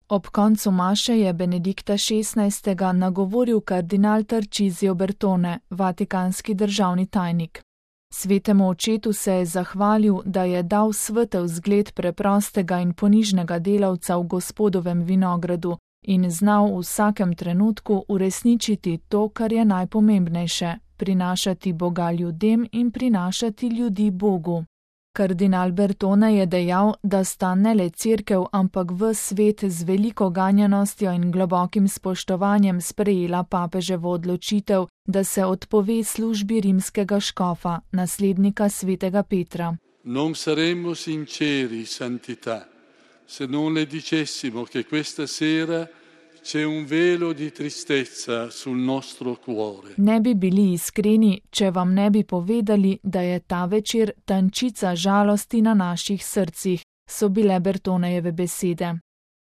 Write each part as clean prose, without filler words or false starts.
Ob koncu maše je Benedikta XVI. Nagovoril kardinal Tarcisio Bertone, vatikanski državni tajnik. Svetemu očetu se je zahvalil, da je dal svetel zgled preprostega in ponižnega delavca v Gospodovem vinogradu in znal v vsakem trenutku uresničiti to, kar je najpomembnejše, prinašati Boga ljudem in prinašati ljudi Bogu. Kardinal Bertone je dejal, da sta ne le cerkev, ampak ves svet z veliko ganjenostjo in globokim spoštovanjem sprejela papeževo odločitev, da se odpove službi rimskega škofa, naslednika svetega Petra. Non saremmo sinceri, santità, se non le dicessimo che questa sera c'è un velo di tristezza sul nostro cuore. Ne bi bili iskreni, če vam ne bi povedali, da je ta večer tančica žalosti na naših srcih, so bile Bertonejeve besede.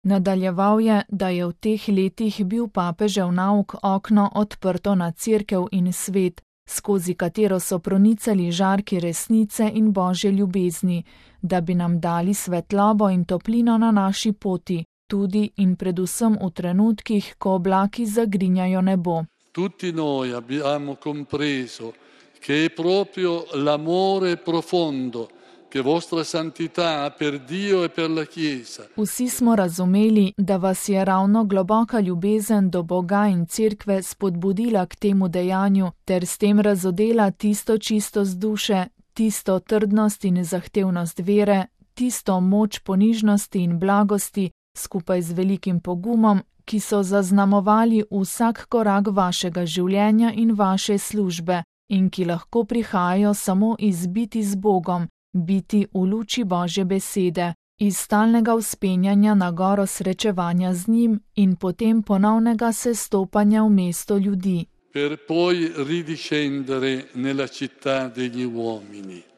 Nadaljeval je, da je v teh letih bil papežev nauk okno odprto na cerkev in svet, skozi katero so pronicali žarki resnice in božje ljubezni, da bi nam dali svetlobo in toplino na naši poti, tudi in predvsem v trenutkih, ko oblaki zagrinjajo nebo. Tutti noi abbiamo compreso che è proprio l'amore profondo che vostra santità ha per Dio e per la Chiesa. Vsi smo razumeli, da vas je ravno globoka ljubezen do Boga in cerkve spodbudila k temu dejanju, ter s tem razodela tisto čistost duše, tisto trdnost in zahtevnost vere, tisto moč ponižnosti in blagosti, skupaj z velikim pogumom, ki so zaznamovali vsak korak vašega življenja in vaše službe in ki lahko prihajajo samo iz biti z Bogom, biti v luči Božje besede, iz stalnega vzpenjanja na goro srečevanja z njim in potem ponovnega sestopanja v mesto ljudi. Per poi ridiscendere nella città degli uomini.